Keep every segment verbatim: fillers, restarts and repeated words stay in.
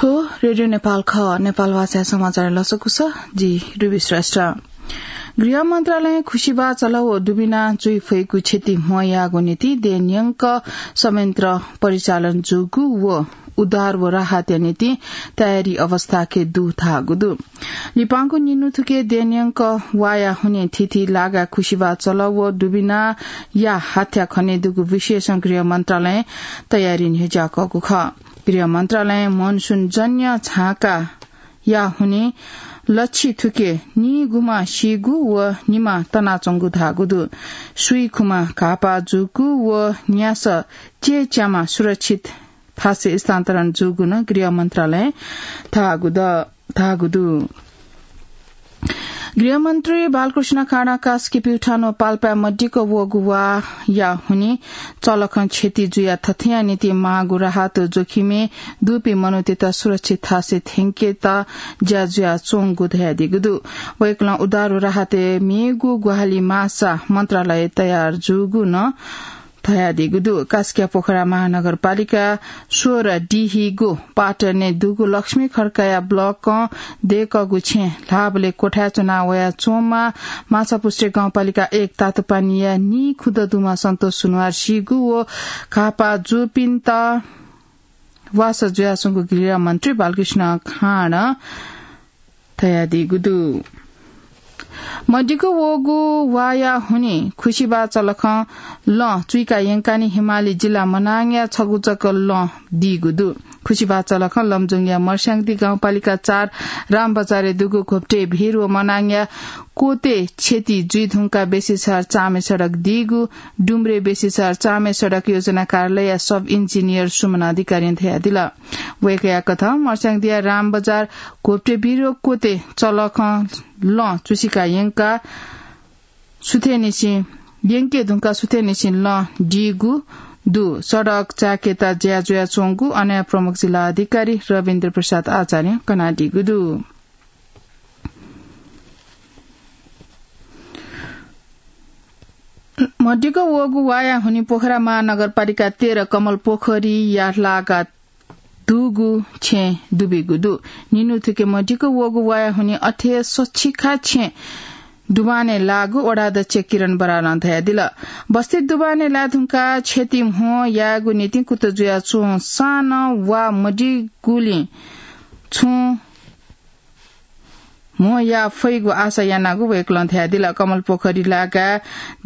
रेडियो नेपाल खः, नेपाल भाषा समाचार लसकुस, जि रुबी श्रेष्ठ। गृह मन्त्रालयं खुसिबा चलः व दुबिना जुइ फइगु क्षति म्हो याःगु निंतिं देय्‌न्यंक संयन्त्र परिचालन जूगु व उद्धार व राहतया निंतिं तयारी अवस्थाके दु धाःगु दु। लिपांगु निन्हु थुके देय्‌न्यंक वाया हुने थीथी लागा खुसिबा चलः व दुबिनाया हाथ्या खने दुगु विषयसं गृह मन्त्रालयं तयारी न्ह्यज्याकःगु खः। गृह मन्त्रालयं मनसुन जन्य झाँकाया हुने लछि थुके निगुमा सीगु व निमा तनाच्वंगु धाःगु दु। सुइखुमा घाःपाः जूगु व न्यासः चेच्यामा सुरक्षित थासय् स्थानान्तरण जूगु नं गृह मन्त्रालयं धाःगु द-, धाःगु दु। गृहमन्त्री बालकृष्ण खाँडं कास्की प्युठान व पाल्पाय् मदिक्क वःगु वाया हुने चलखं क्षति जुया थथेया निंतिं माःगु राहत जोखिमय् दुपिं मनूतय्‌त सुरक्षित थासय् थ्यंकेत ज्या जुयाच्वंगु धयादीगु दु। वय्‌कलं उद्धार व राहतय् मेगु ग्वाहालि माःसा मन्त्रालय तयार जूगु नं धयादीगु दु। कास्कीया पोखरा महानगरपालिका सोह्र डिहिगु पाटनय् दुगु लक्ष्मी खड्काया ब्लकं दय्‌कःगु छेँ ल्हाःबलय् क्वथाय् च्वना वयाच्वंम्ह माछापुच्छ्रे गाउँपालिका एक तातोपानीया नीखुदँ दुम्ह सन्तोष सुनुवार सीगु व घाःपाः जूपिन्त वासः जुयाच्वंगु गृहमन्त्री बालकृष्ण खाँडं धयादीगु दु। मदिक्क वःगु वाया हुने खुसिबा चलखं लँ चुइका यंकानि हिमाली जिल्ला मनाङया छगू जक लँ दीगु दु। खुसिबा चलखं लमजुङया मर्स्याङदी गाउँपालिका चार रामबजारय् दुगु घोप्टे भिर व मनाङया कोते क्षति जुइ धुंकाः बेसीसहर चामे सडक दीगु डुम्रे बेसीसहर चामे सडक योजना कार्यालयया सब इन्जिनियर सुमन अधिकारीं धयादिल। वय्‌कःया कथं मर्स्याङदिया रामबजार घोप्टे भिर व कोते चलखं लँ चुसिका यंका सुथेनिसिं यंके धुंकाः सुथेनिसिं लँ दीगु दु। सडक चायेकेत ज्या जुयाच्वंगु अनया प्रमुख जिल्ला अधिकारी रविन्द्र प्रसाद आचार्यं कनादीगु दु। मदिक्क वःगु वाया हुने पोखरा महानगरपालिका तेह्र कमल पोखरीया लागा दुगु छेँ दुबिगु दु। निन्हु थुके मदिक्क वःगु वाया हुने अथे सछिखा छेँ दुबानय् लाःगु वडाध्यक्ष किरण बरालं धयादिल। बस्ती दुबानय् लाये धुंकाः क्षति म्हो यायेगु निंतिं कुतः जुयाच्वंसां नं वा मदिगुलिं छुं म्हो याये फइगु आशा यानागु वय्‌कलं धयादिल। कमल पोखरी लागा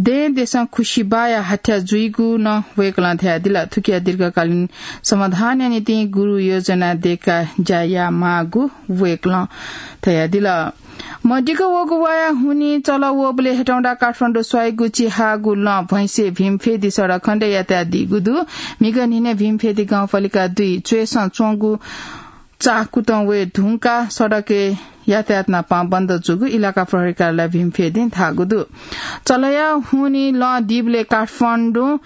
दँय्‌देसं खुसिबाया हाथ्या जुइगु नं वय्‌कलं धयादिल। थुकिया दीर्घकालीन समाधानया निंतिं गुरु योजना दय्‌काः ज्या यायेमाःगु वय्‌कलं धयादिल। मदिक्क वःगु वाया हुने चलः वःबलय् हेटौंडा काठमाडौं स्वाइगु चिहागु लँ भैंसे भीमफेदी सडक खण्डय् यातायात दीगु दु। म्हिगः न्हिनय् भीमफेदी गाउँपालिका दुई च्वय्‌सं च्वंगु चाः कुतः वये धुंकाः सडकय् यातायात नापं बन्द जूगु इलाका प्रहरी कार्यालय भीमफेदीं धाःगु दु। चलःया हुने लँ दीबलय् काठमाडौं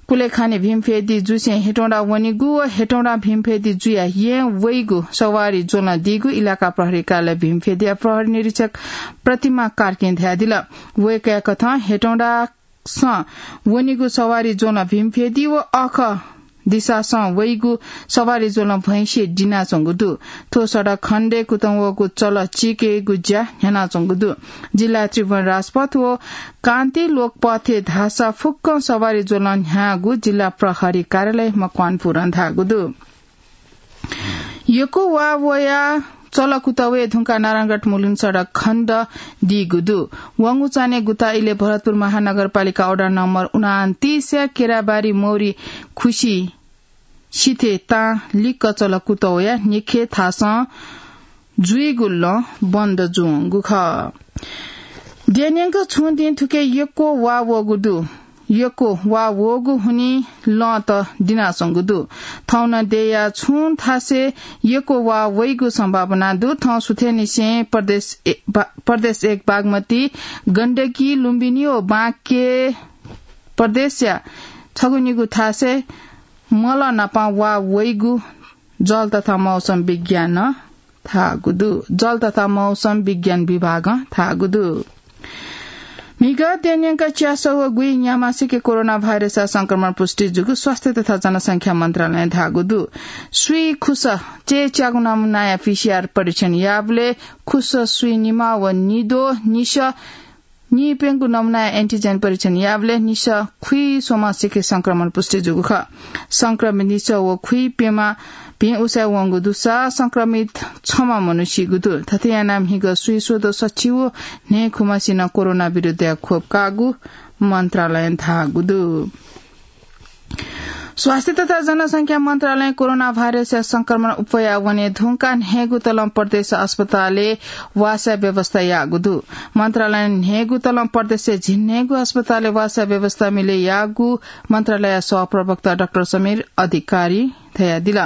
कुलेखानी भीमफेदी जुसें हेटौंडा वनीगु व हेटौंडा भीमफेदी जुया येँ वइगु सवारी ज्वलं दीगु इलाका प्रहरी कार्यालय भीमफेदीया प्रहरी निरीक्षक प्रतिमा कार्कीं धयादिल। वय्‌कःया कथं हेटौंडा सं वनीगु सवारी ज्वलं भीमफेदी व अःख दिसासं वइगु सवारी ज्वलं भैंसे दिनाच्वंगु दु। थ्व सडक खण्डय् कुतः वःगु चलः चीकेगु ज्या न्ह्यानाच्वंगु दु। जिल्ला त्रिभुवन राजपथ व कान्ति लोकपथय् धाःसा फुक्कं सवारी ज्वलं न्ह्याःगु जिल्ला प्रहरी कार्यालय मकवानपुरं धाःगु दु। यक्व वा वया चलः कुतः वये धुंकाः नारायणघाट मुलुन्हु सडक खण्ड दीगु दु। वंगु चान्हय् गुता इलय् भरतपुर महानगरपालिका वडा नम्बर उनान्तीसया केराबारी मौरी खुसी सिथय् तां लिक्क चलः कुतः वया निखे थासं जुइगु लँ बन्द जुवंगु खः। देय्‌न्यंक छुं दिं थुके यक्व वा वःगु दु। यक्व वा वःगु हुनिं लँत दिनाच्वंगु दु। थौं नं देय्‌या छुं थासय् यक्व वा वइगु सम्भावना दु। थौं सुथय्‌निसें प्रदेश ए-, बा-, प्रदेश एक बागमती, गण्डकी, लुम्बिनी व बाँके प्रदेशया छगू निगू थासय् मल नापं वा वइगु जल तथा मौसम विज्ञानं धाःगु दु। जल तथा मौसम विज्ञान विभागं धाःगु दु। म्हिगः देय्‌न्यंक च्यासः व गुइन्याम्हसिके कोरोना भाइरसया संक्रमण पुष्टि जूगु स्वास्थ्य तथा जनसंख्या मन्त्रालयं धाःगु दु। स्वीखुसः चय्‌च्यागु नमुनाया पीसीआर परीक्षण याःबलय् खुसः स्वीनिम्ह व निद्वः निसः नीप्यंगु नमुनाया एन्टिजेन परीक्षण याःबलय् निसः खुइस्वम्हसिके संक्रमण पुष्टि जूगु खः। संक्रमित निसः व खुइप्यम्ह भिं उसाँय् वंगु दुसा संक्रमित छम्ह मनू सीगु दु। थथे यानाः म्हिगः स्वीस्वदँ सछि व न्हय्‌खुम्हसिनं कोरोना विरुद्धया खोप काःगु मन्त्रालयं धाःगु दु। स्वास्थ्य तथा जनसंख्या मन्त्रालयं कोरोना भाइरसया संक्रमण अप्वया वने धुंकाः न्हय्‌गू तलं प्रदेश अस्पतालय् वासया व्यवस्था याःगु दु। मन्त्रालयं न्हय्‌गू तलं प्रदेशय् झिंन्हय्‌गू अस्पतालय् वासया व्यवस्था मिले याःगु मन्त्रालयया सहप्रवक्ता डाक्टर समीर अधिकारीं धयादिल।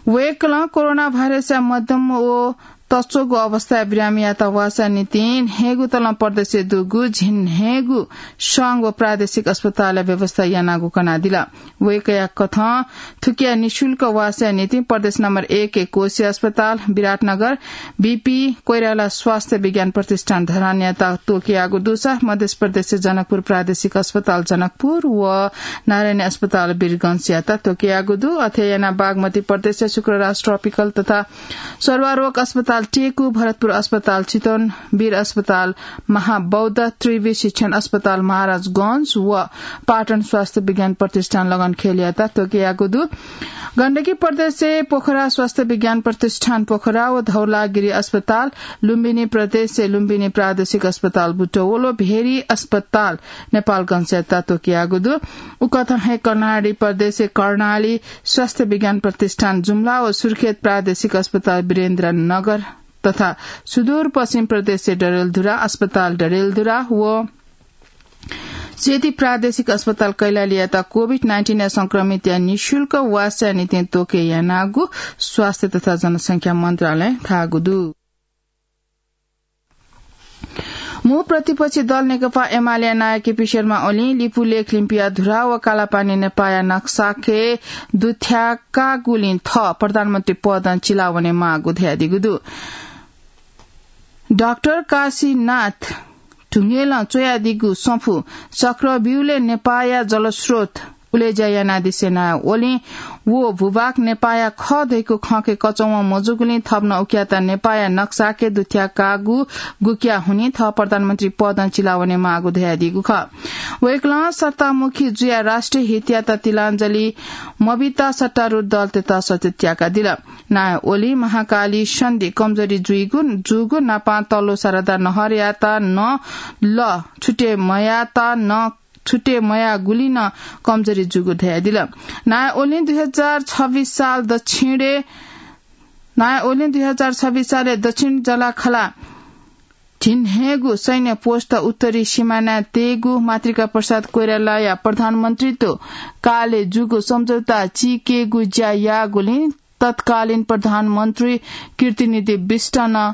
वय्‌कलं कोरोना भाइरसया मध्यम व तच्वःगु अवस्थाय् बिरामीयात वासया निंतिं न्हय्‌गू तलं प्रदेशय् दुगु झिंन्हय्‌गू स्वांग व प्रादेशिक अस्पतालया व्यवस्था यानागु कनादिल। वय्‌कःया कथं थुकिया निशुल्क वासया निंतिं प्रदेश नम्बर एक य् कोशी अस्पताल, विराटनगर, बीपी कोइराला स्वास्थ्य विज्ञान प्रतिष्ठान धरानयात त्वःकेयागु दुसा मध्य प्रदेशय् जनकपुर प्रादेशिक अस्पताल जनकपुर व नारायणी अस्पताल वीरगंजयात त्वःकेयागु दु। अथे यानाः बागमती प्रदेशय् शुक्रराज ट्रपिकल तथा सरुवा रोग अस्पताल टेकु, भरतपुर अस्पताल चितवन, वीर अस्पताल महाबौद्ध, त्रिवि शिक्षण अस्पताल महाराजगंज व पाटन स्वास्थ्य विज्ञान प्रतिष्ठान लगनखेलयात त्वःकेयागु दु। गण्डकी प्रदेशय् पोखरा स्वास्थ्य विज्ञान प्रतिष्ठान पोखरा व धौलागिरी अस्पताल, लुम्बिनी प्रदेशय् लुम्बिनी प्रादेशिक अस्पताल बुटवल व भेरी अस्पताल नेपालगंजयात त्वःकेयागु दु। उकथं हे कर्णाली प्रदेशय् कर्णाली स्वास्थ्य विज्ञान प्रतिष्ठान जुम्ला व सुर्खेत प्रादेशिक अस्पताल वीरेन्द्रनगर तथा सुदूरपश्चिम प्रदेशय् डडेलधुरा अस्पताल डडेलधुरा व सेती प्रादेशिक अस्पताल कैलालीयात कोभिड नाइन्टिनया संक्रमितया निशुल्क वासया निंतिं त्वःके यानागु स्वास्थ्य तथा जनसंख्या मन्त्रालयं धाःगु दु। मू प्रतिपक्षी दल नेकपा एमालेया नायः केपी शर्मा ओलीं लिपुलेख लिम्पिया धुरा व कालापानी नेपाःया नक्साके दुथ्याकागुलिं थः प्रधानमन्त्री पदं चिलावने माःगु धयादीगु दु। डाक्टर काशीनाथ ढुङ्गेलं च्वयादीगु सफू चक्रव्यूहले नेपाःया जलस्रोत उलेज्या यानादिसें नायः ओलीं व भूभाग नेपाःया खः धइगु खँके कचंवं मजूगुलिं थप नं उकियात नेपाःया नक्साके दुथ्याकागु गुकिया हुनिं थः प्रधानमन्त्री पदं चिलावने माःगु धयादीगु खः। वय्कलं सत्तामुखी जुयाः राष्ट्रिय हितयात तिलाञ्जली मबिता सत्तारूढ दलतय्त सत्य त्याकादिल। नायः ओलीं महाकाली सन्धि कमजोरी जुइगु, जूगु नापं तल्लो शारदा नहरयात नं ल छुटे मयात नं छुटे मयाःगुलिं नं कमजोरी जूगु धयादिल। नायः ओलीं दुई हजार छब्बीस साल दक्षिणय्, नायः ओलीं दुई हजार छब्बीस सालय् दक्षिण जलाखला झिंन्हय्गु सैन्य पोस्ट उत्तरी सिमानाय् तयेगु मातृका प्रसाद कोइरालाया प्रधानमन्त्रीत्व कालय् जूगु सम्झौता चीकेगु ज्या याःगुलिं तत्कालीन प्रधानमन्त्री कीर्तिनिधि बिष्टनं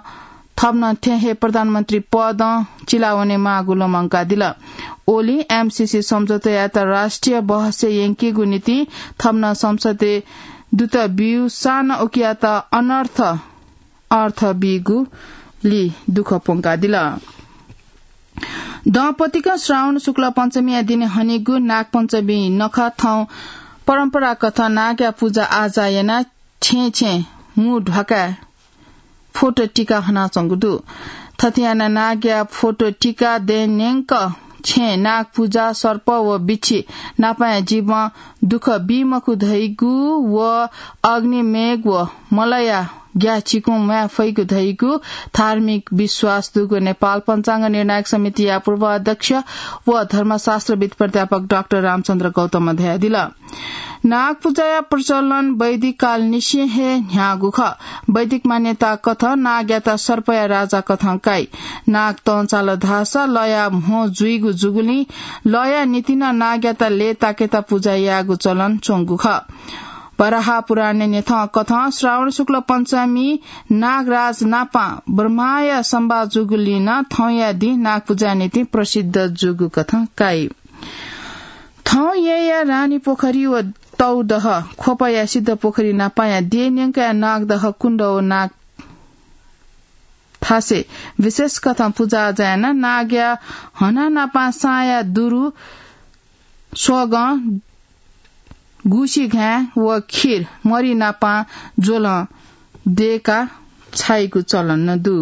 थप नं थें हे प्रधानमन्त्री पदं चिलावने माःगु लुमंकादिल। ओलीं एमसीसी सम्झौतायात राष्ट्रिय बहसय् यंकेगु निंतिं थप नं संसदय् दूत ब्यूसां नं उकियात अनर्थ अर्थ बीगुलिं दुःख प्वंकादिल। दँपतिकं श्रावण शुक्ल पञ्चमीया दिने हनीगु नागपञ्चमी नखः थौं परम्पराकथं नागया पुजा आजा यानाः छेँय् छेँय् मू ध्वाखाय् फोटो टिका हनाच्वंगु दु। थथे यानाः नागया फोटो टिका दँय् न्यंक छेँय् नाग पुजा, सर्प व बिच्छी नापाया जीवं दुःख बी मखु धइगु व अग्नि, मेघ व मलया ग्याः चिकुं म्वाये फइगु धइगु धार्मिक विश्वास दुगु नेपाल पञ्चाङ्ग निर्णायक समितिया पूर्व अध्यक्ष व धर्मशास्त्रविद् प्राध्यापक डाक्टर रामचन्द्र गौतमं धयादिल। नाग पुजाया प्रचलन वैदिक कालनिसें हे न्ह्याःगु खः। वैदिक मान्यता कथं नागयात सर्पया राजा कथं काइ। नाग तं चाल धाःसा लया म्हो जुइगु जूगुलिं लया निंतिं नं नागयात लय्ताकेत पुजा यायेगु चलन च्वंगु खः। वराह पुराणय् न्ह्यथं कथं श्रावण शुक्ल पञ्चमी नागराज नापं ब्रह्माया संवाद जूगुलिं नं थौंया दिं नाग पुजाया निंतिं प्रसिद्ध जूगु कथं काइ। थौं येँया रानीपोखरी व तौदह ख्वपया सिद्धपोखरी नापाया देय् न्यंकया नागदह कुण्ड व नाग थासय् विशेष कथं पुजा अजा यानाः नागया हना नापं साँया दुरु, स्वगं, गुसिघाँय् व खीर मरि नापं ज्वलं दयेकाः छाइगु चलन नं दु।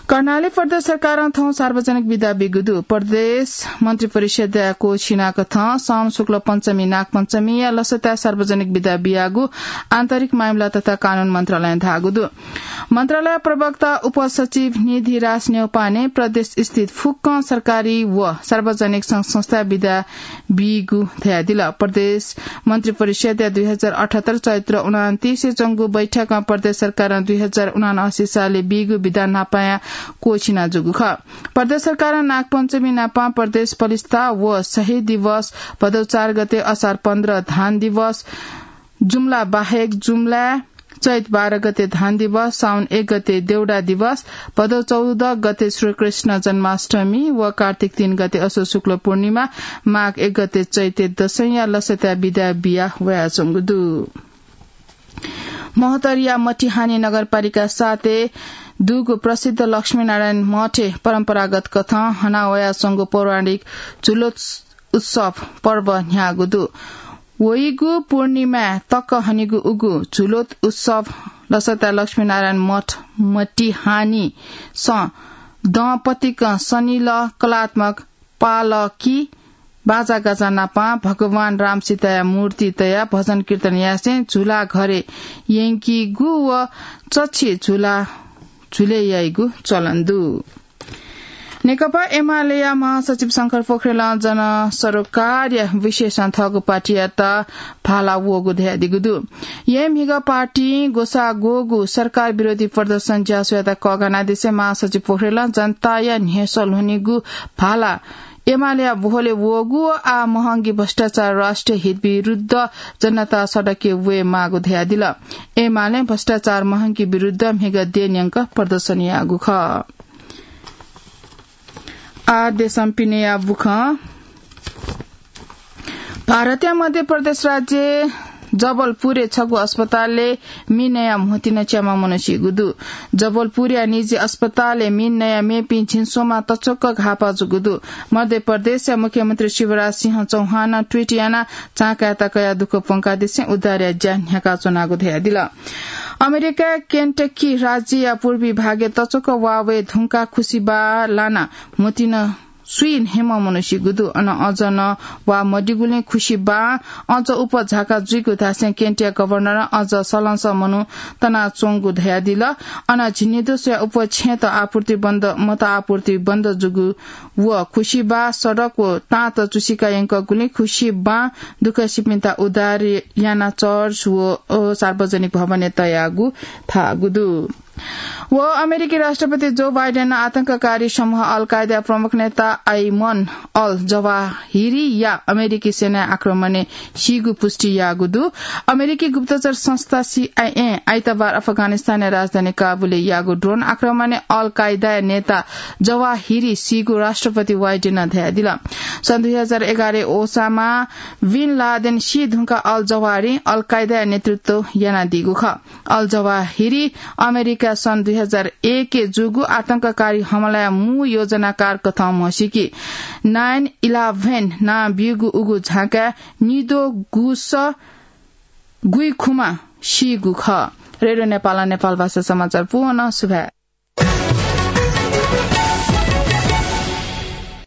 कर्णाली प्रदेश सरकारं थौं सार्वजनिक बिदा बीगु दु। प्रदेश मन्त्री परिषदया क्वःछिनाकथं साउन शुक्ल पञ्चमी नागपञ्चमीया लसताय् सार्वजनिक बिदा बियागु आन्तरिक मामिला तथा कानून मन्त्रालयं धाःगु दु। मन्त्रालय प्रवक्ता उपसचिव निधिराज न्यौपाने प्रदेश स्थित फुक्कं सरकारी व सार्वजनिक संघ संस्था बिदा बीगु धयादिल। प्रदेश मन्त्री परिषदया दुई हजार अठहत्तर चैत्र उनान्तीसय् च्वंगु बैठकं प्रदेश सरकारं दुई हजार उनासी सालय् बीगु बिदा नापंया क्वःछिना जूगु खः। प्रदेश सरकारं नागपञ्चमी नापं प्रदेश पलिस्था व शहीद दिवस, भदौ चार गते असार पन्ध्र धान दिवस, जुम्ला बाहेक जुम्लाय् चैत बाह्र गते धान दिवस, साउन एक गते देउडा दिवस, भदौ चौध गते श्रीकृष्ण जन्माष्टमी व कार्तिक तीन गते अशोक शुक्ल पूर्णिमा, माघ एक गते चैते दशैंया लसताय् बिदा बिया वयाच्वंगु दु। महोत्तरीया मटिहानी नगरपालिका सातय् दुगु प्रसिद्ध लक्ष्मीनारायण मठय् परम्परागत कथं हना वयाच्वंगु पौराणिक झुलोत्स उत्सव पर्व न्ह्याःगु दु। वइगु पूर्णिमाय् तक हनीगु उगु झुलोत उत्सव लसताय् लक्ष्मीनारायण मठ मटिहानीसं दँपतिकं सनिल कलात्मक पालकी बाजागाजा नापं भगवान राम सीताया मूर्ति तयाः भजन कीर्तन यासें झुला घरे यंकीगु व चच्छि झुला झुले याइगु चलन दु। नेकपा एमालेया महासचिव शंकर पोखरेलं जनसरोकारया विषयसं थःगु पार्टीयात भाला वःगु धयादीगु दु। येँ म्हिगः पार्टीं ग्वसाः ग्वःगु सरकार विरोधी प्रदर्शन ज्यासुयात कःघानादिसें महासचिव पोखरेलं जनताया न्ह्यसः ल्ह्वनीगु भाला एमालेया ब्वहलय् वःगु व आः महंगी भ्रष्टाचार राष्ट्रिय हित विरुद्ध जनता सडकय् वये माःगु धयादिल। एमालें भ्रष्टाचार महंगी विरुद्ध म्हिगः देय् न्यंक प्रदर्शन याःगु खः। आः देशं पिनेया बुखँ। भारतया मध्य प्रदेश राज्य जबलपुरय् छगू अस्पतालय् मि नयाः म्होतिन च्याम्ह मनू सीगु दु। जबलपुरया निजी अस्पतालय् मि नयाः मेपिं झिंस्वम्हं तच्वक घाःपाः जूगु दु। मध्य प्रदेशया मुख्यमन्त्री शिवराज सिंह चौहानं ट्वीट यानाः झांकाय्‌त कयाः दुःख प्वंकादिसें उद्धारया ज्या न्ह्याकाच्वनागु धयादिल। अमेरिकाया केन्टकी राज्यया पूर्वी भागय् तच्वक वा वये धुंकाः खुसिबाः लानाः म्होतिन स्वीन्हय्‌म्ह मनू सीगु दु। अन अझ नं वा मदीगुलिं खुसिबाः अझ उप झाका जुइगु धासें केन्टया गभर्नरं अझ सलंसः मनू तनाच्वंगु धयादिल। अन झिंनिदँस्वया उप छेँत आपूर्ति बन्द, मत आपूर्ति बन्द जूगु व खुसिबाः सडक व ताँत चुसिका यंकूगुलिं खुसिबां दुःखसिपिन्त उद्धार यानाः चर्च व, अ, सार्वजनिक भवनय् तयागु धाःगु दु। व अमेरिकी राष्ट्रपति जो बाइडेनं आतंककारी समूह अल कायदा प्रमुख नेता आइमन अल जवाहिरीया अमेरिकी सेनाया आक्रमणय् सीगु पुष्टि याःगु दु। अमेरिकी गुप्तचर संस्था सीआइएं आइतबार अफगानिस्तानया राजधानी काबुलय् याःगु ड्रोन आक्रमणय् अल कायदाया नेता जवाहिरी सीगु राष्ट्रपति बाइडेनं धयादिल। सन् दुई हजार एघारय् ओसामा बिन लादेन सी धुंकाः अल जवाहिरी अल कायदाया नेतृत्व यानादीगु खः। अल जवाहिरी अमेरिकां सन् दुई हजार एकय् जूगु आतंककारी हमलाया मू योजनाकार कथं म्हसीकी। नाइन इलेभेन नां ब्यूगु उगु झांकाय् निद्वः गुस गुइखुमा सीगु खः। रेडियो नेपालं नेपाल भाषा समाचार पूवं सुभाय्।